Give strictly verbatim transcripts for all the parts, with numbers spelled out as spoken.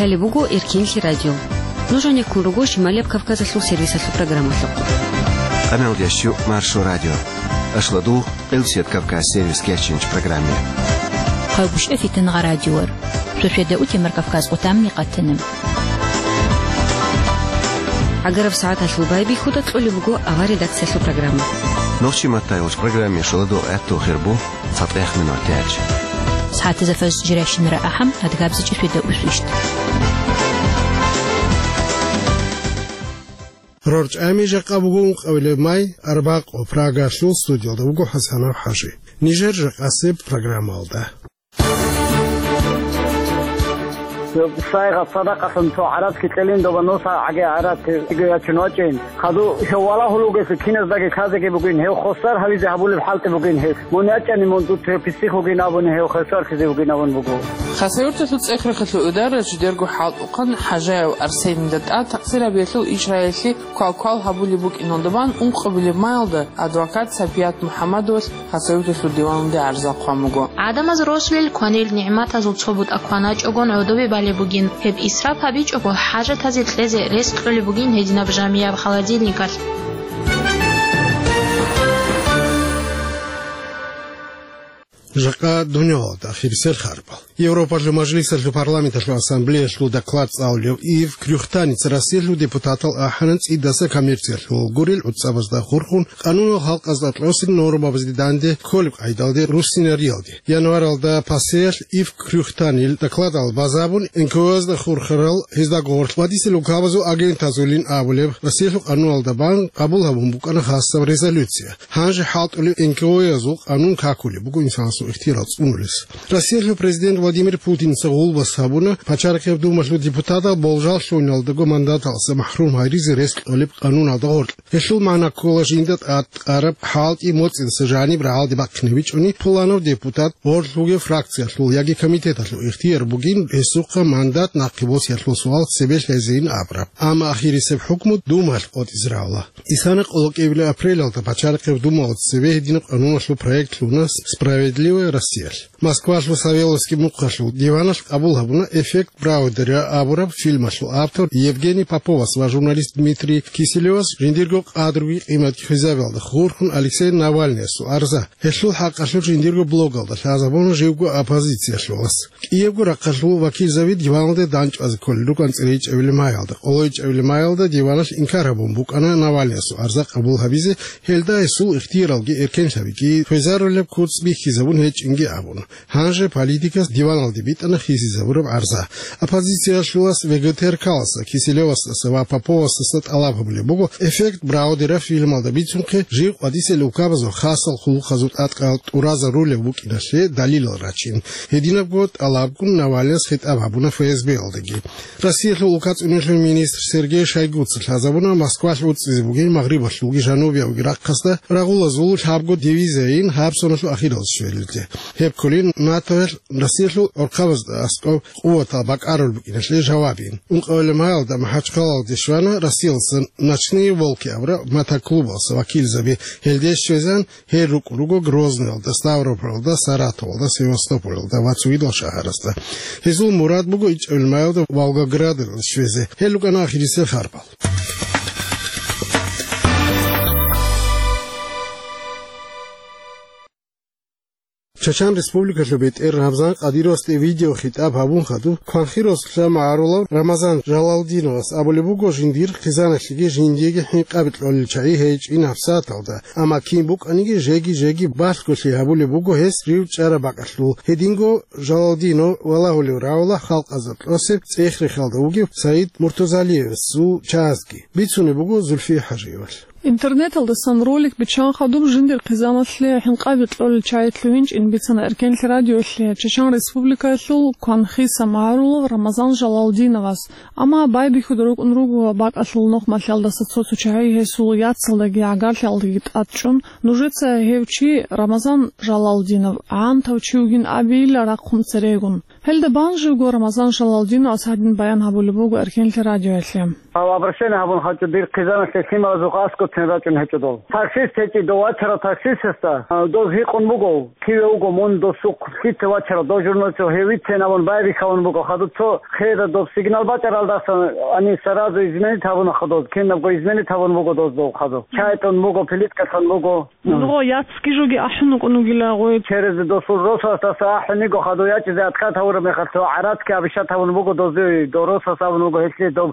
Лъалеб буго Эркенлъи радио. Нуж гьанеккун руго Шималияб Кавказалъул сервисалъул программалъухъ. Къаналдиящу Маршо радио. Ашладу Элсет Кавказ сервис кечинч программе. Хъалбушев Фитангъа радиор. Шошеда утемар Кавказ къутамни къатана. Агараб сагӀаталъул байбихьуда кьолеб буго авар редакциялъул программа. Нохчи маттайолч программе шоладо гӀатту хирбу. ЦатӀехъ минут тяч. СагӀатазда фаз жиращинара ахӀам, адгабзичӀи фида усвищт. РорчӀами жакъа буго ункъабилеб май, арбакъо, Прагалъул студиялда вуго ХӀасанов ХӀажи. Нижер жакъасеб программалда. Сайгъат садакъалъун цо гӀарац кьелин доба нуса гӀаги гӀарац иго ячун вачӀин. Хадув гьев валагьулев вугелъул киназдаги лъазеги бугин, гьев хвасар гьавизе гьабулеб хӀалтӀи бугин гьес. Мун ячӀани мун дуца гьев писих вугин абуни, гьев хвасарлъизе вугин абун буго. Хасавюрталъул ЦӀехрахъалъул Идаралъ жидерго хӀалтӀухъан ХӀажаев Арсенида тӀад такъсирабиялъул ишаялъе квал-квал гьабулеб букӀиналда бан ункъабилеб маялда адвокат Сапият МухӀаммадовалъ Хасавюрталъул диваналде гӀарзал хъван буго. ГӀадамаз росулел кванил нигӀматазул цо бутӀа кваначӀогон гӀодобе балеб бугин. Гьеб исраф гьабичӀого, хӀажатазе кьезе рес кьолеб бугин гьединаб жамияб холодильникалъ. Жакъа дунялалда ахирисел харбал. Европалъул Мажлисалъул парламенталъул ассамблеялъул доклад цӀалулев Ив Крюхтаница Россиялъул депутатал ахӀана цӀидаса коммерциялъул гурел гӀуцӀабазда хурхун, къанунал халкъазда кьосин нормабазде данде кколеб къайдалде руссинариялде. Январалда ПАСЕялъ Ив Крюхтанил докладал базабун, НКО-язда хурхарал, гьезда гъорлъ вадисе лукабазул агентазулин абулеб, Россиялъул къануналда бан къабул гьабун букӀана хасаб резолюция. Гьанже хӀалтӀулев НКО-язул къанун какулеб буго инсанасул ихтияр цӀунулес. Россиялъул президент Владимир Путинца гъулбас гьабуна Пачарахъеб Думалъул депутатал болжал лъугьиналдаго мандаталъа махӀрум гьаризе рес кьолеб къануналда гъоркь. Гьелъул магӀна ккола жинда тӀад кьараб хӀалтӀи моцӀидаса жаниб рагӀалде бахъинабичӀони, Пуланов депутат гъорлъ вугев фракциялъул яги комитеталъул ихтияр бугин гьесухъа мандат нахъе босиялъул суал цебе лъезейин абураб. Амма ахирисеб хӀукму Думалъ къотӀизе равла. Исана къолокӀебилеб апрелалда Пачарахъеб Думалда цебе гьединаб къануналъул проект лъугьуна «Справедливая Россиялъ». Москвалъул Савеловский мухъалъул диваналъ къабул гьабуна «Эффект Браудера» абураб фильмалъул автор Евгений Поповас ва журналист Дмитрий Киселевас жиндирго къадруги къиматги хвезабиялда хурхун Алексей Навальныясул арза, гьелъул хӀакъалъулъ жиндирго блогалда лъазабуна живго оппозициялъулас. КӀиябго рахъалъул вакилзаби диваналде дандчӀвазе кколел рукӀана цӀерейчӀабилеб маялда. КъолойчӀабилеб маялда диваналъ инкар гьабун букӀана Навальныясул арза къабул гьабизе, гьелда гьесул ихтияралги эркенлъабиги хвезарулеб куц бихьизабун гьечӀинги абун. Гьанже политикас диваналде битӀана хисизабураб гӀарза. Оппозициялъулас ВГТРК-ласа, Киселевасдаса ва Поповасдаса тӀалаб гьабулеб буго, «Эффект Браудера» фильмалда бицунхъе жив къватӀисел лукабазул хасал хъулухъазул тӀадкъал тӀуразарулев вукӀиналъе далилал рачин. Гьединабго тӀалабгун Навальныяс хитӀаб гьабуна ФСБ-ялдаги. Россиялъул улкацӀунелъул министр Сергей Шойгуца лъазабуна Москвалъ уцӀизе бугин Магърибалъулги Жанубиявги рахъасда рагъулазул лъабго дивизияйин гьаб соналъул ахиралде щвелилде. Гьеб кколин НАТОялъ Россиялъул гӀурхъабазда аскӀоб къуватал бакӀарулеб букӀиналъе жавабин. Ункъабилеб маялда МахӀачхъалалде щвана Россиялдаса «Ночные волки» абураб мотоклубалъа вакилзаби. Гьелде щвезан гьел рукӀун руго Грозныйалда, Ставрополалда, Саратовалда, Севастополалда ва цогидал шагьарасда. Гьезул мурад буго ичӀабилеб маялда Волгоградалде щвезе. Гьел рукӀана ахирисел харбал. Чачан Республикалъул бетӀер Рамзан Кадыровасде видеохитӀаб гьабун хадуб, кванхъи росулъа магӀарулав Рамазан Жалалдиновас абулеб буго, жиндир хъизаналъеги жиндиеги хӀинкъаби кьолел чагӀи гьечӀин гьабсагӀаталда, амма кин букӀаниги жеги-жеги балъголъи гьабулеб буго гьес рив чӀараб бакӀалъул. Гьединго Жалалдинов валагьулев равла халкъазда кьосеб ЦӀехрехалда вугев Саид Муртузалиевасул чагӀазги. Бицунеб буго Зульфия ХӀажиевалъ. Интернеталдасан ролик биччан хадуб жиндир хъизаналъе хӀинкъаби кьолел чагӀи лъугьинчӀин бицана Эркенлъи радиолъе Чечен Республикаялъул кванхъиса магӀарулав Рамазан Жалалдиновас. Амма байбихьуда рукӀун руго бакӀалъул нухмалъалдаса цо-цо чагӀи гьесул яцалдаги гӀагарлъиялдаги тӀадчӀун. Нужеца гьев чи Рамазан Жалалдинов гӀантав чи вугин абейилла рахъун церегун. Гьелда бан живго Рамазан Жалалдиновас гьадин баян гьабулеб буго Эркенлъи радиоялъе. Гьав обращение гьабун гьачӀо дир хъизаналъе лъималазухъ аскӀоцин рачӀун гьечӀо дол. Таксист гьечӀи, дов вачарав таксистасда, а, доз гьикъун буго, киве вуго мун досухъ лъица вачарав, дов журналист гьев вицин абун байбихьавун буго, хадуб цо хеда доб сигнал бачӀаралдасан, ани саразу изменить гьабуна хадуз, кинабго изменить гьабун буго доз дов хадуб. Чай тун буго, плиткалъун буго. Гъо, яцги жоги ахӀун вукӀун вугила гъой. Через досул росасдаса ахӀун йиго хадув ячӀизе откат гьавураб мехалъ цо гӀаратки абишат гьавун буго дозуй, дов росас абун вуго гьелъие доб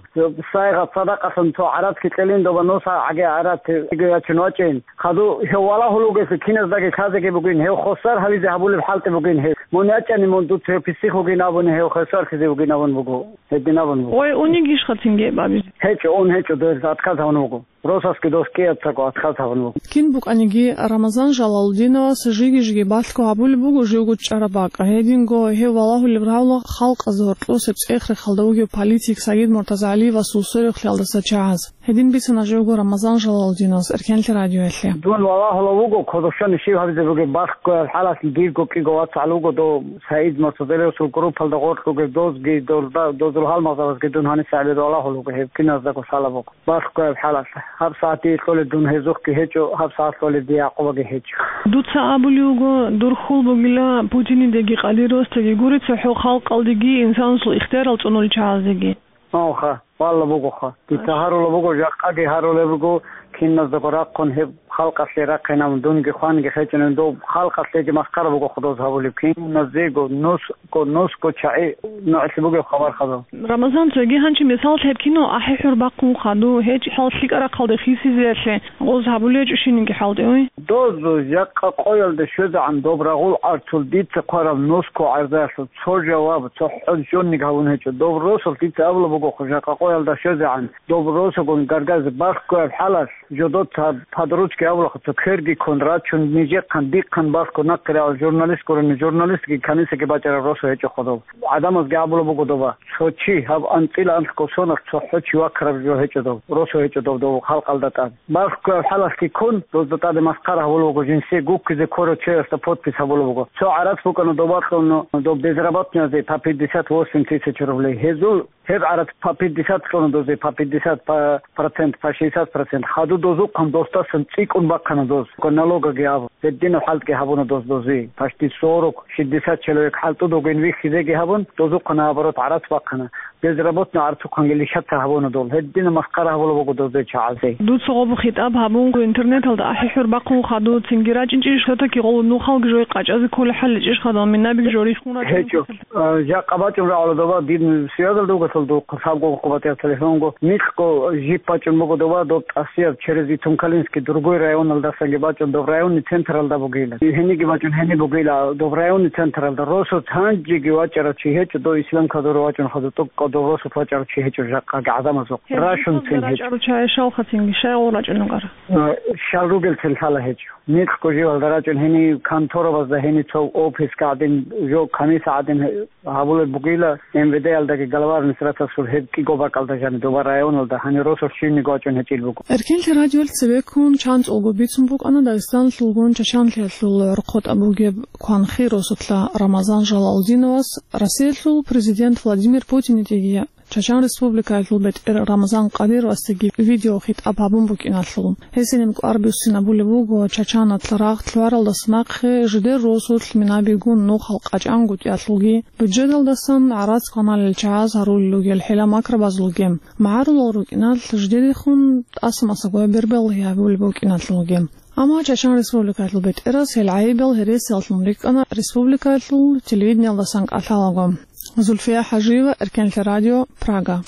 сайгъат садакъалъун цо гӀаратки кьелин доба нуса гӀаги гӀарат йиго ячун вачӀин. Хадув гьев валагьул вугелъул киназдаги лъазеги бугин, гьев хосар гьавизе гьабулеб хӀалтӀи бугин гьев. Мун ячӀани мун дуца гьев писих вугин абуни гьев хосар лъизе вугин абун буго. Гьедин абун буго. Гъой унигищха цинги гьеб абизе? ГьечӀо, ун гьечӀо, дов откат гьавун вуго. Росасги дос кӀиябцаго откат гьабун буго. Кин букӀаниги, Рамазан Жалалудиновас жиги-жиги балъго гьабулеб буго живго чӀараб бакӀ. Гьединго гьев валагьулеб гьавула халкъазда гьоркьосеб цӀех-рехалда вугев политик Сагид Муртазагьалиевасул сверухълъиялдаса чагӀаз. Гьедин бицана живго Рамазан Жалалудиновас Эркенлъи радиоялъе. Дун валагьулев вуго, кодошони щиб гьабизе бугеб, балъгояб хӀалалъ дирго кӀиго вацгӀал вуго дов Сагид Муртазагьалиевасул группалда гъоркь ругел дозги, дозда-, дозул гьалмагъзабазги дун гьанисегӀан валагьулев вуго, гьеб киназдаго лъала буго. Балъгояб хӀалалъ. Гьаб сагӀат дие кьолеб дун гьезухъги гьечӀо, гьаб сагӀат кьолеб дие Якъубаги гьечӀо. Дуца абулев вуго, дур хьул бугила Путинидеги Къадировасдеги гури цохӀо халкъалдеги инсанасул ихтиярал цӀунулел чагӀаздеги. Гьанха, валла бугоха. Дица гьарула буго, жакъаги гьарулеб буго, киназдаго рахъун гьеб халкъалъе рахъинабун, дунги хванги хечӀунеб, дов халкъалъеги масхара буго худоз гьабулеб, киназего нус Ко-, нусго чагӀи нугӀлъи бугеб хабар хадуб. Рамазан, цоги гьанчи мисал лъеб кино ахӀи-хӀур бахъун хадуб, гьечӀеб хӀал лъикӀаб рахъалде хисизеялъе гъоз гьабулеб гьечӀо щибниги хӀалтӀи, ой? Доз жакъа къоялда щвезегӀан доб рагъул гӀарцул дица хъвараб нусго гӀарзаялъул цо жаваб, цохӀо жонниги гьабун гьечӀо. Доб росулъ дица абулеб буго, жакъа къоялда щвезегӀан доб росугун гаргазе балъгояб хӀалалъ, жодоца подручки абулахъуца кверги ккун рачун, нижехъан, дихъан балъго нахъе рагӀул журналист гурони, журналистги канисаги бачӀараб росу гьечӀо хадуб. ГӀадамазги абулеб буго доба, цо чи, гьаб анцӀила анлъго соналъ цохӀо чи вакараб жо гьечӀо доб, росу гьечӀо доб, дов халкъалда тӀад. Балъгояб хӀалалъги ккун, дозда тӀаде масхара гьабулеб буго, жинсие гуккизе ккорав чиясда подпись гьабулеб буго. Цо гӀарац букӀана доба кьун доб безработниязе по пятьдесят восемь тысяч рублей. Гьезул Гьеб гӀарац по пятьдесят кьуна дозе, по пятьдесят, по процент, по шестьдесят процент. Хадуб дозухъан досдасан цӀикӀкӀун бахъана доз. Налогги абун. Гьединаб хӀалтӀги гьабуна доз дозе. Почти сорок, шестьдесят человек хӀалтӀудугин вихьизеги гьабун, дозухъан, наоборот, гӀарац бахъана. Безработный гӀарцухъанги лишатца гьабуна дол. Гьединаб масхара гьабулеб буго дозде чагӀазе. Дуца гъоб хитӀаб гьабун, интернеталда ахӀи-хӀур бахъун хадуб, цинги рачӀинчӀищ, все-таки гъол нухалги жой къачӀазе кколей хӀал гьечӀищ хадуб, минабиги жо рихун рачӀун? ГьечӀо. А, жакъа бачӀун рагӀула доба, дир связалда вугелъул духъ, лъабго къо батӀияб телефонго, микьго жип бачӀун буго доба, доб тӀасияб через Итункалинский другой районалдасанги бачӀун, доб районный централда бугила. Гьениги бачӀун гьени бугила, доб районный централда. Росулъ гьанжеги вачӀарав чи гьечӀо, дов Ислам Кадуров вачӀун хадуб, тӀокӀкӀав дов росулъ вачӀарав чи гьечӀо жакъаги гӀадамазухъ. Рашунцин гьечӀо. РачӀарав чагӀи щалха цинги, щай гъол рачӀун вукӀара? А, щал ругелцин лъала гьечӀо. Микьго живалда рачӀун гьенив конторабазда, гьенив цо офисга гӀадин, жо комиссия гӀадин гьабулеб бугила, МВД-ялдаги глава администрациялъул гьеб кӀиго бакӀалда жаниб доба районалда гьанир росулъ щивниги вачӀун гьечӀил буго. Эркенлъи радиоялъ цебеккун чанцӀулго бицун букӀана Дагъистаналъулгун Чачанлъиялъул гӀорхъотӀа бугеб Кванхи росулъа Рамазан Жалалудиновас Россиялъул президент Владимир Путинидеги Чачан Республикаялъул бетӀер Рамазан Къадировасдаги видеохитӀаб гьабун букӀиналъул. Гьесие кӀвар буссинабулеб буго Чачаналъ рагъ лъугӀаралдаса нахъе жидер росулъ минабигун нухал къачӀангутӀиялъулги, бюджеталдасан гӀарац кваналел чагӀаз гьарулел ругел хӀила-макрабазулги, магӀарулал рукӀиналъ жидерихун тӀаса-масагояб берберлаги гьабулеб букӀиналъулги. Амма Чачан Республикаялъул бетӀерас гьел гӀайибал гьересиялъун рикӀкӀана республикаялъул телевидениялдасан кӀалъалаго. Зульфия ХӀажиева, Эркенлъи радио, Прага.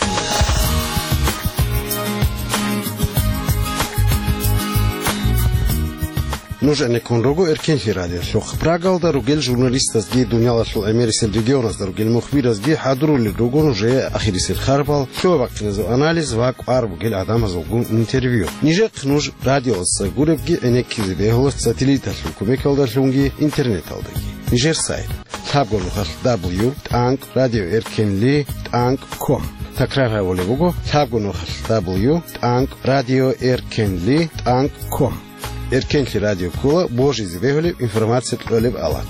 Нуж гӀенеккун руго Эркенлъи радиолъухъ. Прагалда ругел журналистазги, дуниялалъул гӀемерисел регионазда ругел мухбиразги хӀадурулел руго нужее ахирисел харбал, лъугӀа-бахъиназул анализ ва кӀвар бугел гӀадамазулгун интервью. Нижехъ нуж радиоялдаса гуребги гӀенеккизе бегьула сателлиталъул кумекалдалъунги интернеталдаги. Нижер сайт: лъабго нухалъ дабл ю тӀанкӀ радио эркенлъи тӀанкӀ ком. Такрар гьабулеб буго: лъабго нухалъ дабл ю тӀанкӀ радио эркенлъи тӀанкӀ ком. Эркенлъи радио ккола божизе бегьулеб информация кьолеб алат.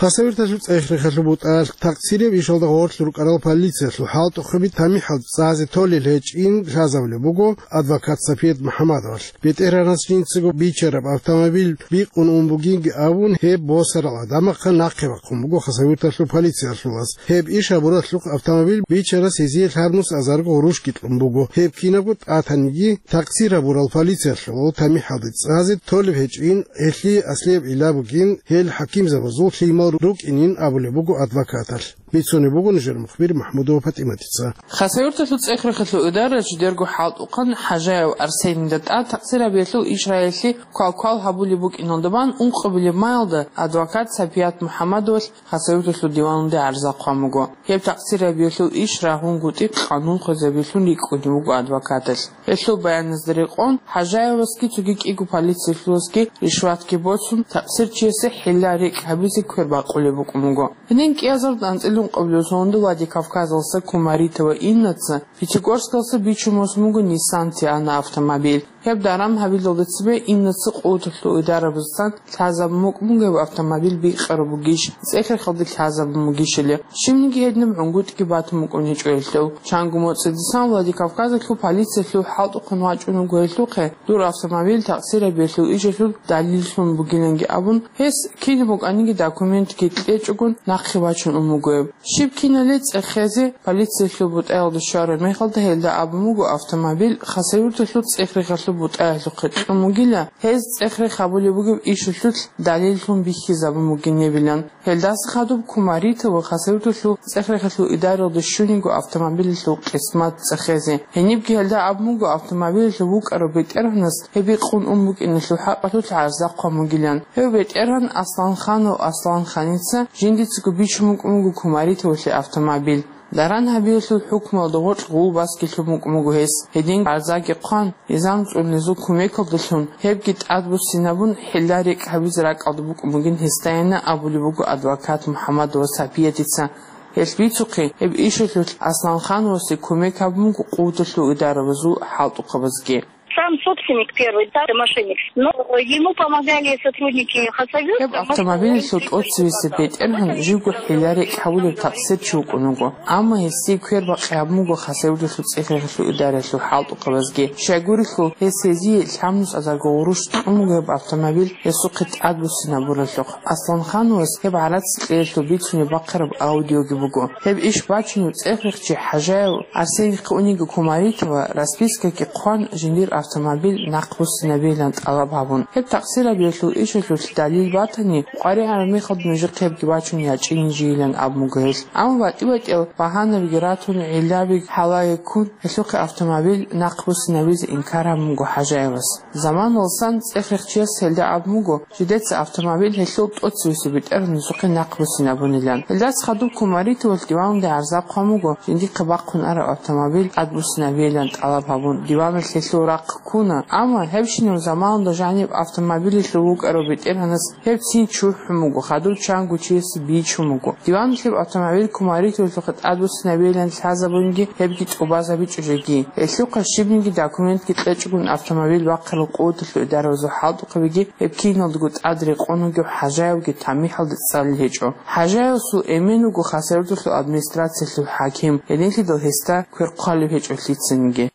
Хасавюрталъул цӀех-рехалъул бутӀаялъ такъсирияб ишалда гъорлъ рукӀарал полициялъул хӀалтӀухъаби тамихӀал цӀазе толел гьечӀин лъазабулеб буго адвокат Сапият МухӀаммадовалъ. БетӀергьанас жинцаго бичараб автомобиль бикъун ун бугинги абун, гьеб босарал гӀадамахъа нахъе бахъун буго Хасавюрталъул полициялъулаз. Гьеб иш гьабуралъухъ автомобиль бичарас гьезие лъабнус азарго гъурущги кьун буго. Гьеб кинабго тӀатаниги, такъсир гьабурал полициялъул тамихӀалде цӀазе толеб гьечӀин, гьелъие аслияб гӀилла бугин, гьел хӀакимзабазул лъимал рукӀинин абулеб буго адвокаталъ. Бицунеб буго нужер мухбир МахӀмудова ПатӀиматица. Хасавюрталъул цӀех-рехалъул идаралъ жидерго хӀалтӀухъан ХӀажаев Арсенида тӀад такъсир гьабиялъул иш гьаялъе квал-квал гьабулеб букӀиналда бан ункъабилеб маялда адвокат Сапият МухӀаммадовалъ Хасавюрталъул диваналде гӀарза хъван буго. Гьеб такъсир гьабиялъул иш рагьунгутӀи къанун хвезабиялъун рикӀкӀунев вуго адвокаталъ. Гьелъул баяназда рекъон, ХӀажаевасги цоги кӀиго полициялъуласги ришватги боцун, такъсирчиясе хӀилла-рекӀ гьабизе квер бакъулеб букӀун буго. Гьедин кӀиазарда анцӀила ункъабилеб соналда Владикавказалъа Кумаритова Иннаца Пятигорскалъа бичун босун буго Nissan Tiana автомобиль. Гьеб даран гьабилалда цебе Иннаца къуваталъул идарабазасан лъазабун букӀун буго гьеб автомобиль бикъараб бугищ, цӀех-рехалде лъазабун бугищали. Щибниги гьединаб гӀунгутӀги батун букӀун гьечӀо гьелъул. Чанго моцӀидасан Владикавказалъул полициялъул хӀалтӀухъан вачӀун вуго гьелъухъе, дур автомобиль такъсир гьабиялъул ишалъул далиллъун бугиланги абун, гьес кинаб букӀаниги документги кьечӀогун нахъе бачун ун буго гьеб. Щиб кинали цӀехезе полициялъул бутӀаялда щвараб мехалда гьелда абун буго автомобиль Хасавюрталъул цӀех-рехалъул бутӀаялъухъе кьун бугила, гьез цӀех-рех гьабулеб бугеб ишалъулъ далиллъун бихьизабун бугин гьебилан. Гьелдаса хадуб Кумаритова Хасавюрталъул цӀех-рехалъул идаралда щуниго автомобилалъул къисмат цӀехезе. Гьенибги гьелда абун буго автомобилалъул вукӀарав бетӀергьанас гьеб бикъун ун букӀиналъул хӀакъалъулъ гӀарза хъван бугилан. Гьев бетӀергьан Асланханов Асланханица жиндицаго бичун букӀун буго Кумаритовалъе автомобиль. Даран гьабиялъул хӀукмуялда гъоркь гъулбасги лъун букӀун буго гьес. Гьедин гӀарзаги хъван, низам цӀунулезул кумекалдалъун, гьебги тӀадбуссинабун, хӀилла-рекӀ гьабизе ракӀалда букӀун бугин гьесдайина абулеб буго адвокат МухӀаммадова Сапиятица. Гьелъ бицухъе, гьеб ишалъулъ Асланхановасе кумек гьабун буго къуваталъул идарабазул хӀалтӀухъабазги. Сам собственник первый, да, это мошенник. Но ему помогали сотрудники Хасавюрта. Гьеб автомобилалъул тӀоцевесеб бетӀергьан живго хӀилла-рекӀ гьавулев такъсирчи вукӀун вуго. Амма гьесие квер бакъи гьабун буго Хасавюрталъул цӀех-рехалъул идаралъул хӀалтӀухъабазги. Щайгурелъул, гьес гьезие лъабнус азарго гъурущ кьун буго гьеб автомобиль гьесухъе тӀадбуссинабуралъухъ. Асланхановас гьеб гӀарац кьеялъул бицунеб бахъараб аудиоги буго. Гьеб иш бачунев цӀех-рехчи ХӀажаев Арсенихъе униги Кумаритова распискаги хъван, жиндир автомобиль нахъбуссинабейилан тӀалаб гьабун. Гьеб такъсир гьабиялъул ишалъулъ далил батани, къваригӀараб мехалда нужехъе гьебги бачун ячӀинин жийилан абун буго гьелъ. Амма батӀи-батӀиял багьанабиги ратун, гӀиллабиги гьалаги ккун, гьелъухъе автомобиль нахъбуссинабизе инкар гьабун буго ХӀажаевас. Заманалсан цӀех-рехчияс гьелда абун буго, жидеца автомобиль гьелъул тӀоцевесеб бетӀергьанасухъе нахъбуссинабунилан. Гьелдаса хадуб Кумаритовалъ диваналде гӀарза хъван буго, жиндихъе бахъун араб автомобиль тӀадбуссинабейилан тӀалаб гьабун, диваналъ гьелъул рахъ ккуна. Амма гьебщинаб заманалда жаниб автомобилалъул вукӀарав бетӀергьанас гьеб цин чурхӀун буго, хадур чанго чиясе бичун буго. Диваналъ гьеб автомобиль Кумаритовалъухъе тӀадбуссинабейилан лъазабунги, гьебги тӀубазабичӀо жеги. Гьелъухъа щибниги документги кьечӀогун автомобиль бахъарал къуваталъул идарабазул хӀалтӀухъабиги гьеб киналдаго тӀад рекъон вугев ХӀажаевги тамихӀалде цӀалел гьечӀо. ХӀажаевасул эмен вуго Хасавюрталъул администрациялъул хӀаким, гьединлъидал гьесда квер хъвалеб гьечӀо лъицаниги.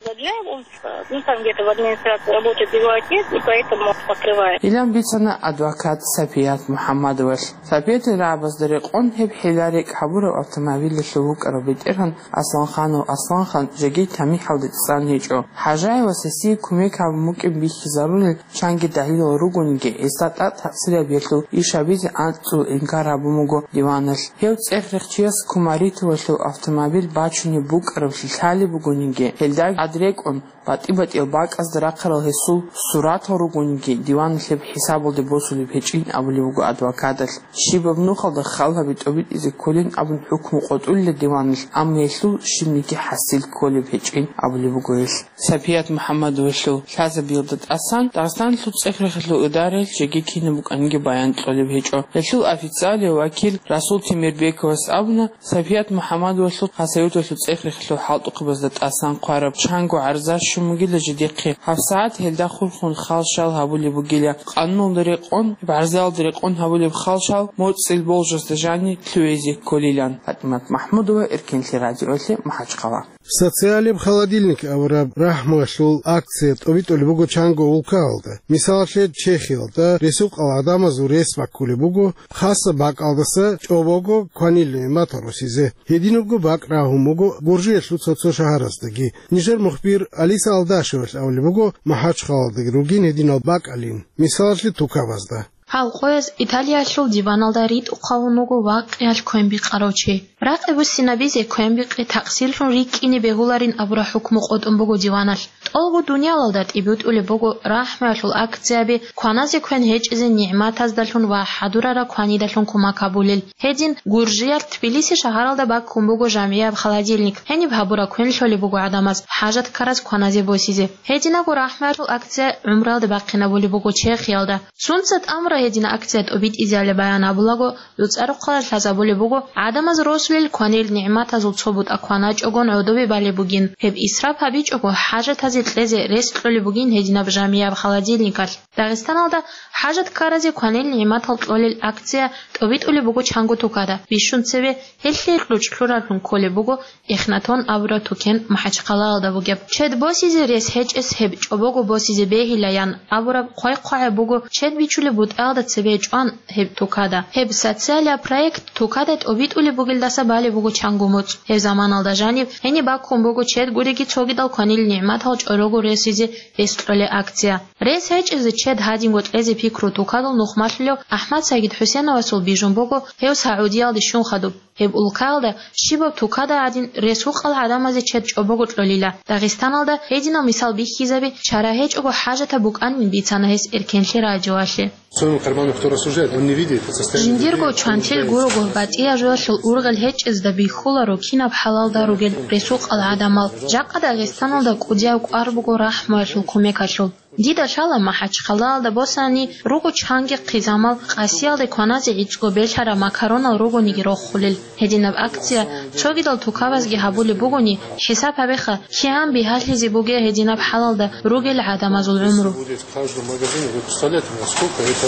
Ну, там где-то в администрации работает его отец, и поэтому он покрывает. Илан бицана адвокат Сапият МухӀаммадовалъ. Сапиятил рагӀабазда рекъон гьеб хӀилла-рекӀ гьабурав автомобилалъул вукӀарав бетӀергьан Асланханов Асланхан жеги тамихӀалде цӀан гьечӀо. ХӀажаевас гьесие кумек гьабун букӀин бихьизарулел чанги далилал ругониги, гьесда тӀад такъсир гьабиялъул иш гьабизе анцӀго инкар гьабун буго диваналъ. Гьев цӀех-рехчияс Кумаритовалъул автомобиль бачунеб букӀаравлъи лъалеб бугониги, гьелда тӀад рекӀун, батӀи-батӀиял бакӀазда рахъарал гьесул суратал ругониги, диваналъ гьеб хӀисабалде босулеб гьечӀин абулеб буго адвокаталъ. Щибаб нухалда хал гьаби тӀобитӀизе кколин абун хӀукму къотӀулила диваналъ, амма гьелъул щибниги хӀасил кколеб гьечӀин абулеб буго гьелъ. Сапият МухӀаммадовалъул лъазабиялда тӀасан Дагъистаналъул цӀех-рехалъул идараялъ жеги кинаб букӀаниги баян кьолеб гьечӀо. Гьелъул официалияв вакил Расул Темирбековас абуна, Сапият МухӀаммадовалъул Хасавюрталъул цӀех-рехалъул хӀалтӀухъабазда тӀасан хъвараб чанго гӀарза щун бугин жидехъе. ГьабсагӀат гьелда хурхун халшал гьабулеб бугила. Къануналда рекъон, гӀарзалда рекъон гьабулеб халшал моцӀил болжасда жаниб лъугӀизе кколилан. ПатӀимат МахӀмудова, Эркенлъи радиоялъе, МахӀачхъала. Социалеб холодильник абураб рахӀмуялъул акция тӀобитӀулеб буго чанго улкаялда. Мисалалъе, Чехиялда ресукъал гӀадамазул рес баккулеб буго, хасаб бакӀалдаса чӀобого кванил нигӀматал росизе. Гьединабго бакӀ рагьун буго Гуржиялъул цо-цо шагьарасдаги. Нижер мухбир Алиса Алдашевалъ абулеб буго, МахӀачхъалалдаги ругин гьединал бакӀалин, мисалалъе, тукабазда. Гьал къояз Италиялъул диваналда ритӀухъ гьавун вуго вакъиялъ квен бикъарав чи. Ракъи буссинабизе квен бикъи такъсирлъун рикӀкӀине бегьуларин абураб хӀукму къотӀун буго диваналъ. ТӀолго дуниялалда тӀибитӀулеб буго рахӀмуялъул акцияби, кваназе квен гьечӀезе нигӀматаздалъун ва хӀадурараб кванидалъун кумак гьабулел. Гьедин, Гуржиялъ Тбилиси шагьаралда баккун буго жамгӀияб холодильник. Гьениб гьабураб квен лъолеб буго гӀадамаз хӀажат ккараз кваназе босизе. Гьединабго рахӀмуялъул акция гӀумруялда бахъинабулеб буго Чехиялда. Сунца тӀамураб гьединаб акция тӀобитӀизеяли баян гьабулаго, ДуцӀарухъалалъ лъазабулеб буго, гӀадамаз росулел кванил нигӀматазул цо бутӀа кваначӀогон гӀодобе балеб бугин, гьеб исраф гьабичӀого хӀажатазе кьезе рес кьолеб бугин гьединаб жамгӀияб холодильникалъ. Дагъистаналда хӀажат ккаразе кванил нигӀматал кьолел акция тӀобитӀулеб буго чанго тукада. Бищун цебе гьелъие кьучӀ лъураблъун кколеб буго Эхнатон абураб тукен МахӀачхъалаялда бугеб. Чед босизе рес гьечӀес гьеб чӀобого босизе бегьилаян абураб хъвай-хъвагӀаб буго чед бичулеб бутӀаялда цебе чӀван гьеб тукада. Гьеб социалияб проект тукада тӀобитӀулеб бугелдаса балеб буго чанго моцӀ. Гьеб заманалда жаниб гьениб баккун буго чед гуриги цогидал кванил нигӀматал чӀорого росизе рес кьолеб акция. Рес гьечӀезе чед гьадинго кьезе пикру тукадул нухмалъулев АхӀмад Сагид ХӀусеновасул бижун буго гьев Саудиялде щун хадуб. Гьеб улкаялда щибаб тукада гӀадин ресукъал гӀадамазе чед чӀобого кьолила. Дагъистаналда гьединал мисал бихьизаби чара гьечӀого хӀажатаб букӀанин бицана гьес Эркенлъи радиоялъе. Особенно карманный, кто рассуждает, он не видит состояние людей, Жиндирго чвантил гурого батӀияб жоялъул ургъел гьечӀезда бихьуларо кинаб хӀалалда ругел ресукъал гӀадамал. Жакъа Дагъистаналда кӀудияб кӀвар буго рахӀмуялъул кумекалъул. Дида лъала МахӀачхъалаялда босани руго чанги хъизамал, къасиялде кваназе гӀицӀго белъараб макаронал ругониги рохулел. Гьединаб акция цогидал тукабазги гьабулеб бугони, хӀисаб гьабеха, кигӀан бигьалъизе бугеб гьединаб хӀалалда ругел гӀадамазул гӀумру. Будет в каждом магазине, вы представляете, насколько это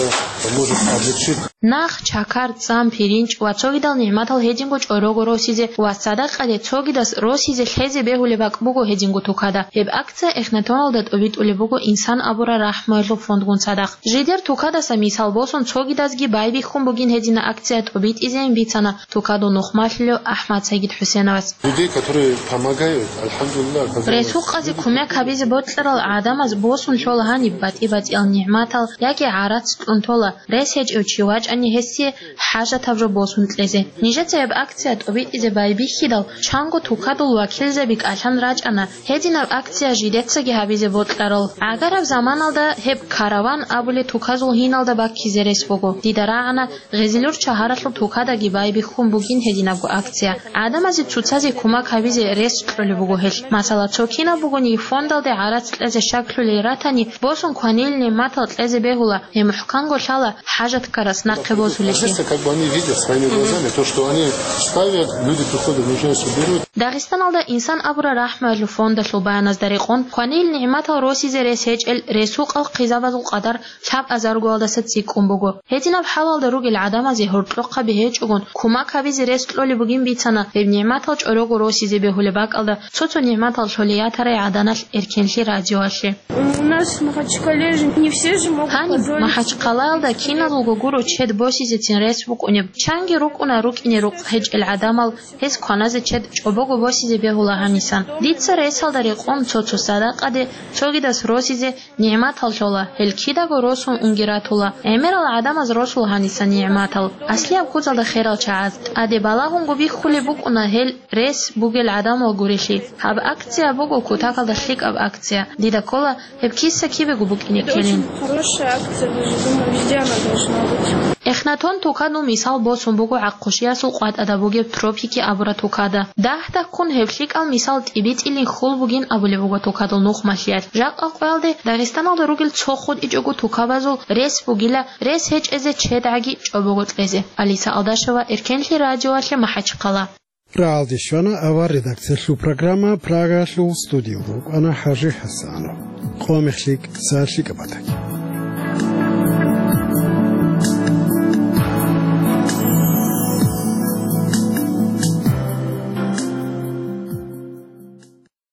может облегчить. Нах, чакар, цӀан, пиринч ва цогидал нигӀматал гьединго чӀорого росизе ва садакъаде цогидас росизе лъезе бегьулеб бакӀ буго гьединго тукада. Гьеб акция Эхнатоналда тӀобитӀулеб буго Инсан абураб рахӀмуялъул фондгун цадахъ. Жидер тукадаса мисал босун цогидазги байбихьун бугин гьединаб акция тӀобитӀизейин бицана тукадул нухмалъулев АхӀмад Сагид ХӀусеновас. Людей, которые помогают, альхамдулилла, когда Ресукъазе кумек гьабизе бокьарал гӀадамаз босун лъола гьаниб батӀи-батӀиял нигӀматал яги гӀарац кьун тола, рес гьечӀев чи вачӀани гьесие хӀажатаб жо босун кьезе. Нижеца гьеб акция тӀобитӀизе байбихьидал, чанго тукадул вакилзаби кӀалъан рачӀана, гьединаб акция жидецаги гьабизе бокьарал. ГӀагараб заманалда гьеб караван абулеб туказул гьиналда баккизе рес буго. Дида рагӀана, Гъезилур шагьаралъул тукадаги байбихьун бугин гьединабго акция. ГӀадамазе цоцазе кумак гьабизе рес кьолеб буго гьелъ. Масала, цо кинаб бугони фондалде гӀарац кьезе щаклъулел ратани, босун кванил нигӀматал кьезе бегьула, гьеб мухӀканго лъала хӀажаткарас нахъе босулеблъи. Здесь как бы они видят своими глазами то, что они ставят, люди приходят, нуждаются, берут. Дагъистаналда Инсан абураб рахӀмуялъул фондалъул баяназда рекъон, кванил нигӀматал росизе рес гьечӀел ресукъал хъизабазул къадар лъабазаргоялдаса цӀикӀкӀун буго. Гьединаб хӀалалда ругел гӀадамазе гьоркьохъаби гьечӀогон кумак гьабизе рес кьолеб бугин бицана гьеб нигӀматал чӀорого росизе бегьулеб бакӀалда цо-цо нигӀматал лъолей ятарай гӀаданалъ Эркенлъи радиоялъе. У нас в Махачкале же не все же могут Гьаниб позволить себе МахӀачхъалаялда киналго гуро чед босизецин рес букӀунеб. Чанги рукӀуна рукӀине рукъ гьечӀел гӀадамал, гьес кваназе чед чӀобого босизе бегьула гьанисан. Дица ресалда рекъон цо-цо садакъаде, цогидас росизе, нигӀматал лъола, гьел кидаго росун унги ратула. ГӀемерал гӀадамаз росул гьаниса нигӀматал. Аслияб куцалда херал чагӀаз. ТӀаде балагьунго бихьулеб букӀуна гьел рес бугел гӀадамал гурелъи. Гьаб акция буго кутакалда лъикӀаб акция. Дида ккола гьеб киса кибего букӀине ккелин. Это очень хорошая акция, даже думаю, везде она должна быть. Эхнатон тукадул мисал босун буго ГӀахъушиясул къватӀада бугеб Тропики абураб тукада. Дагь-дагьккун гьеб лъикӀал мисал тӀибитӀилин хьул бугин абулеб буго тукадул нухмалъиялъ. Жакъа къоялде Дагъистаналда ругел цо хутӀичӀого тукабазул рес бугила, рес гьечӀезе чедгӀаги чӀобого кьезе. Алиса Алдашева, Эркенлъи радиоялъе, МахӀачхъала. Рагьалде щвана авар редакциялъул программа, Прагаялъул студиялда рукӀана ХӀажи ХӀасанов. Къо мех лъикӀ, са лъикӀаб батаги.